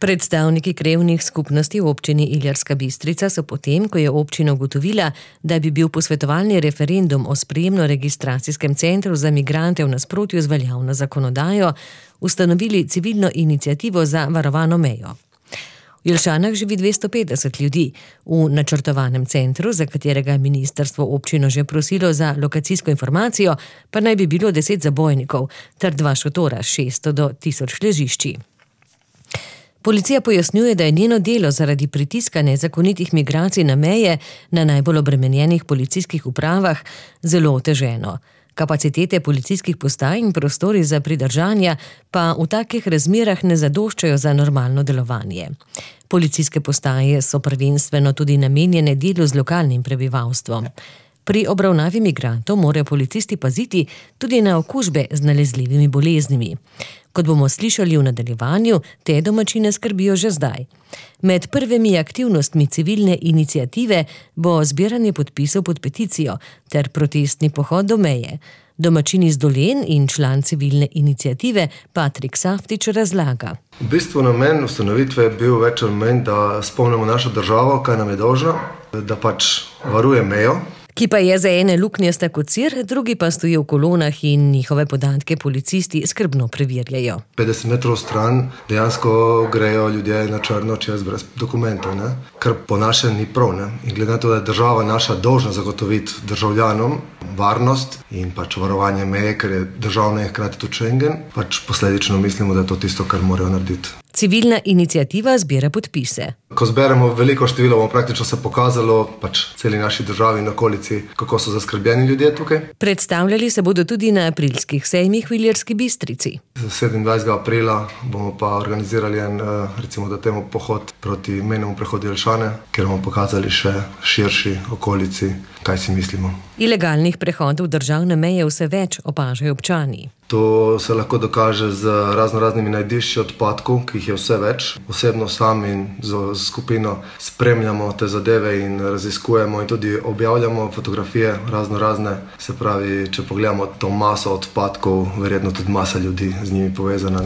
Predstavniki krajevnih skupnosti v občini Ilirska Bistrica so potem, ko je občina ugotovila, da bi bil posvetovalni referendum o sprejemno-registracijskem centru za migrante v nasprotju z veljavno zakonodajo, ustanovili civilno iniciativo za varovano mejo. V Jelšanah živi 250 ljudi. V načrtovanem centru, za katerega je ministrstvo občino že prosilo za lokacijsko informacijo, pa naj bi bilo 10 zabojnikov ter 2 šotora s 600 do 1000 ležišči. Policija pojasnjuje, da je njeno delo zaradi pritiska nezakonitih migracij na meje na najbolj obremenjenih policijskih upravah zelo oteženo. Kapacitete policijskih postaj in prostori za pridržanja pa v takih razmerah ne zadoščajo za normalno delovanje. Policijske postaje so prvenstveno tudi namenjene delu z lokalnim prebivalstvom. Pri obravnavi migrantov morajo policisti paziti tudi na okužbe z nalezljivimi boleznimi. Kot bomo slišali v nadaljevanju, te domačine skrbijo že zdaj. Med prvimi aktivnostmi civilne iniciative bo zbiranje podpisov pod peticijo ter protestni pohod do meje. Domačin iz Dolen in član civilne iniciative Patrik Saftič razlaga. V bistvu namen ustanovitve je bil več ali manj, da spomnimo našo državo, kaj nam je dolžna, da varuje mejo. Ki pa je za ene luknjasta kot sir, drugi pa stojijo v kolonah in njihove podatke policisti skrbno preverjajo. 50 metrov stran dejansko grejo ljudje na črno čez brez dokumentov, kar po našem ni prav. In glede na to, da je država naša dolžna zagotoviti državljanom varnost in varovanje meje, ker je državna in hkrati tudi Schengen, posledično mislimo, da je to tisto, kar morajo narediti. Civilna iniciativa zbira podpise. Ko zberemo veliko število, bomo praktično se pokazalo celi naši državi in okolici, kako so zaskrbljeni ljudje tukaj. Predstavljali se bodo tudi na aprilskih sejmih v Ilirski Bistrici. 27. aprila bomo pa organizirali recimo da temu pohod proti mejnemu prehodu Jelšane, kjer bomo pokazali še širši okolici, kaj si mislimo. Ilegalnih prehodov državne meje vse več, opažajo občani. To se lahko dokaže z raznoraznimi najdišči odpadkov, ki jih je vse več. Osebno sam in z skupino spremljamo te zadeve in raziskujemo in tudi objavljamo fotografije raznorazne. Se pravi, če pogledamo to maso odpadkov, verjetno tudi masa ljudi z njimi povezana,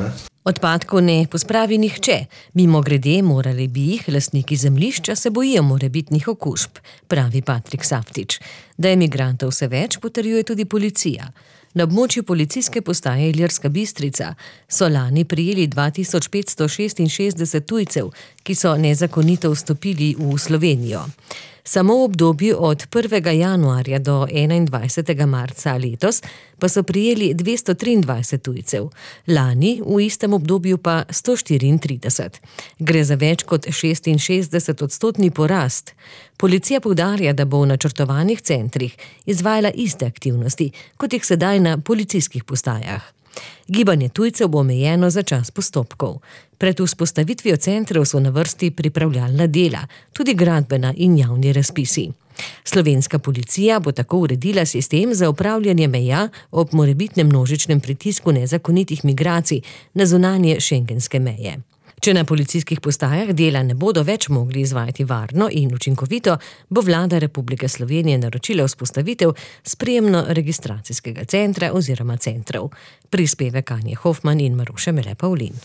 Odpadkov ne pospravi nihče. Mimogrede, morali bi jih, lastniki zemljišča se bojijo morebitnih okužb, pravi Patrik Saftič. Da je migrantov vse več, potrjuje tudi policija. Na območju policijske postaje Ilirska Bistrica so lani prijeli 2566 tujcev, ki so nezakonito vstopili v Slovenijo. Samo v obdobju od 1. januarja do 21. marca letos pa so prijeli 223 tujcev, lani v istem obdobju pa 134. Gre za več kot 66% porast. Policija poudarja, da bo v načrtovanih centrih izvajala iste aktivnosti, kot jih sedaj na policijskih postajah. Gibanje tujcev bo omejeno za čas postopkov. Pred vzpostavitvijo centrov so na vrsti pripravljalna dela, tudi gradbena in javni razpisi. Slovenska policija bo tako uredila sistem za upravljanje meja ob morebitnem množičnem pritisku nezakonitih migracij na zunanje schengenske meje. Če na policijskih postajah dela ne bodo več mogli izvajati varno in učinkovito, bo vlada Republike Slovenije naročila vzpostavitev sprejemno-registracijskega centra oziroma centrov. Prispevek Anje Hofman in Maruše Mele Pavlin.